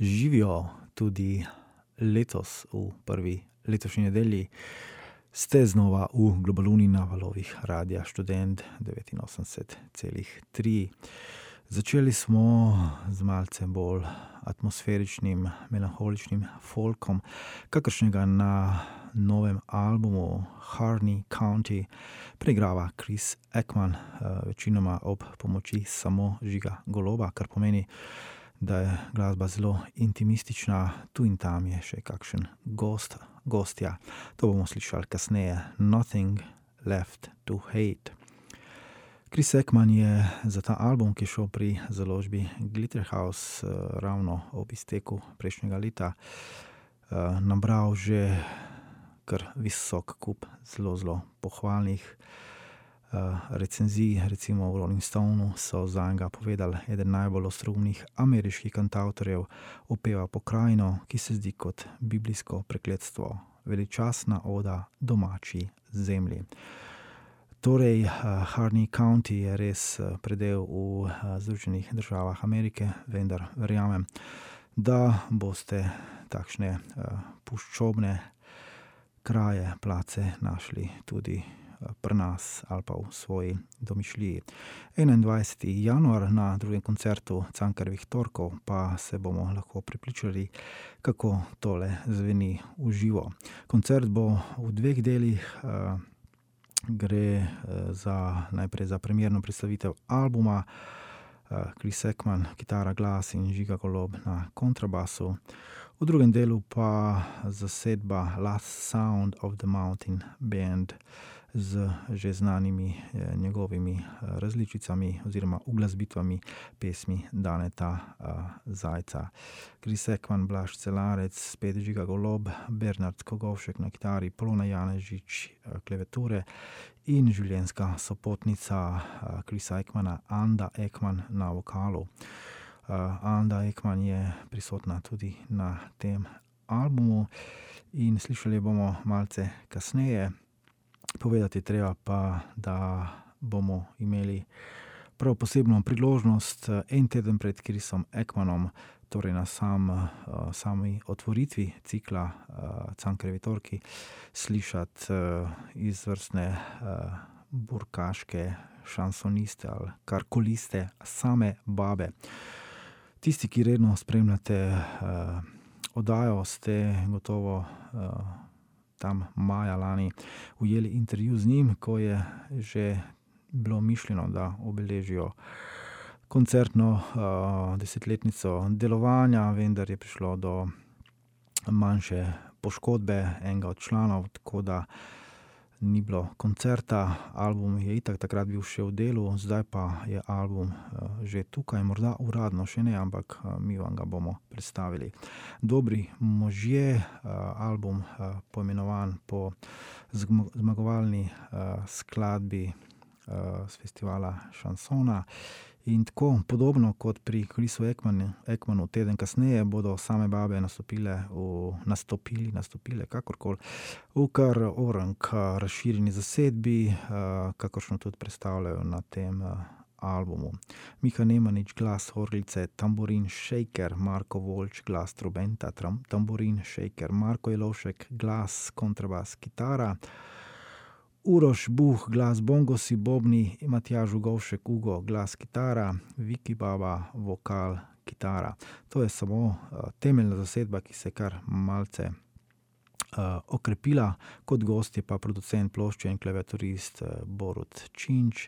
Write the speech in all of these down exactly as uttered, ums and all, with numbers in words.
Živijo tudi letos v prvi letošnji nedelji. Ste znova v Globaluni na valovih Radia Študent devetinosemdeset celih tri. Začeli smo z malce bolj atmosferičnim, melanholičnim folkom, kakršnega na novem albumu Harney County preigrava Chris Ekman, večinoma ob pomoči samo Žiga Goloba, kar pomeni, da je glasba zelo intimistična, tu in tam je še kakšen gost, gostja. To bomo slišali kasneje. Nothing left to hate. Chris Ekman je za ta album, ki je šel pri založbi Glitterhouse ravno ob izteku prejšnjega leta, nabral že kar visok kup zelo, zelo pohvalnih recenzij. Recimo v Rolling Stoneu so zanj povedali, eden najbolj ostroumnih ameriških kantavtorjev opeva pokrajino, ki se zdi kot biblijsko prekletstvo, veličastna oda domači zemlji. Torej, Harney County je res predel v Združenih državah Amerike, vendar verjamem, da boste takšne puščobne kraje, place našli tudi pri nas ali pa v svoji domišljiji. enaindvajseti januar na drugem koncertu Cankarjevih torkov pa se bomo lahko prepričali, kako tole zveni v živo. Koncert bo v dveh delih. Gre za, najprej za premierno predstavitev albuma, Chris Ekman, kitara, glas in Žiga Golob na kontrabasu. V drugem delu pa zasedba Last Sound of the Mountain Band z že znanimi njegovimi različicami oziroma uglasbitvami pesmi Daneta Zajca. Chris Ekman, Blaž Celarec, spet Žiga Golob, Bernard Kogovšek na kitari, Polona Janežič klaviature in življenjska sopotnica Chrisa Ekmana, Anda Ekman na vokalu. Anda Ekman je prisotna tudi na tem albumu in slišali bomo malce kasneje. Povedati treba pa, da bomo imeli prav posebno priložnost en teden pred Chrisom Ekmanom, torej na sam, sami otvoritvi cikla Cankarjevi torki, slišati izvrstne burkaške šansoniste ali karkoliste, same babe. Tisti, ki redno spremljate oddajo, ste gotovo tam maja lani ujeli intervju z njim, ko je že bilo mišljeno, da obeležijo koncertno uh, desetletnico delovanja, vendar je prišlo do manjše poškodbe enega od članov, tako da ni bilo koncerta. Album je itak takrat bil še v delu, zdaj pa je album uh, že tukaj, morda uradno še ne, ampak uh, mi vam ga bomo predstavili. Dobri možje, uh, album uh, poimenovan po zg- zmagovalni uh, skladbi uh, z festivala Šansona. In tako podobno kot pri Chrisu Ekmanu, Ekmanu teden kasneje bodo same babe nastopile, v, nastopili, nastopile kakorkoli, v kar orang razširjeni zasedbi, kakoršno tudi predstavljajo na tem albumu. Miha Nemanič, glas orglice, tamburin, shaker, Marko Voljč, glas trobenta, tram, tamburin, shaker, Marko Jelovšek, glas, kontrabas, kitara, Uroš Buh, glas bongosi, bobni, Matjaž Ugovšek, Ugo, glas kitara, Viki Baba, vokal, kitara. To je samo uh, temeljna zasedba, ki se kar malce uh, okrepila. Kot gost je pa producent plošče in klaviaturist uh, Borut Činč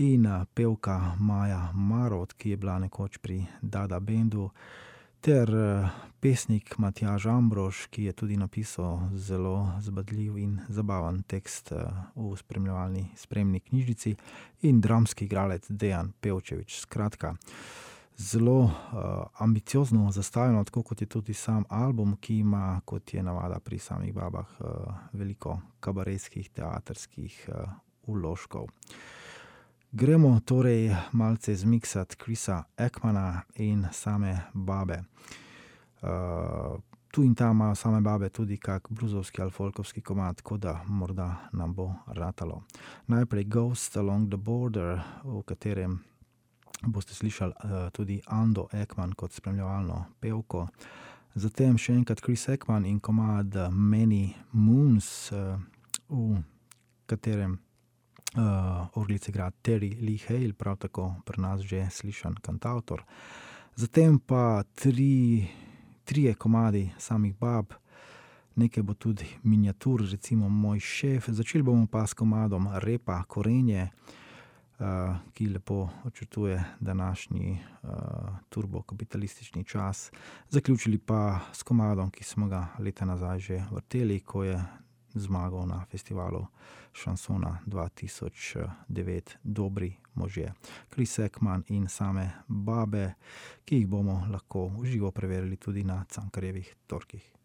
in uh, pevka Maja Marot, ki je bila nekoč pri Dada Bendu, ter uh, pesnik Matjaž Ambrož, ki je tudi napisal zelo zbadljiv in zabaven tekst uh, v spremljevalni spremni knjižnici, in dramski igralec Dejan Pevčevič. Skratka, zelo uh, ambiciozno zastavljeno, tako kot je tudi sam album, ki ima, kot je navada pri samih babah, uh, veliko kabaretskih, teatrskih uh, vložkov. Gremo torej malce zmiksati Chrisa Ekmana in same babe. Uh, tu in tam imajo same babe tudi kak bluzovski ali folkovski komad, tako da morda nam bo ratalo. Najprej Ghost Along the Border, v katerem boste slišali uh, tudi Ando Ekman kot spremljevalno pevko. Zatem še enkrat Chris Ekman in komad Many Moons, uh, v katerem uh, orglice igra Terry Lee Hale, prav tako pri nas že slišan kantavtor. Zatem pa tri, trije komadi samih bab, nekaj bo tudi miniatur, recimo Moj šef. Začeli bomo pa s komadom Repa Korenje, uh, ki lepo očrtuje današnji uh, turbokapitalistični čas. Zaključili pa s komadom, ki smo ga leta nazaj že vrteli, ko je zmagal na festivalu šansona dva tisoč devet, Dobri možje. Chris Ekman in same babe, ki jih bomo lahko v živo preverili tudi na Cankarjevih torkih.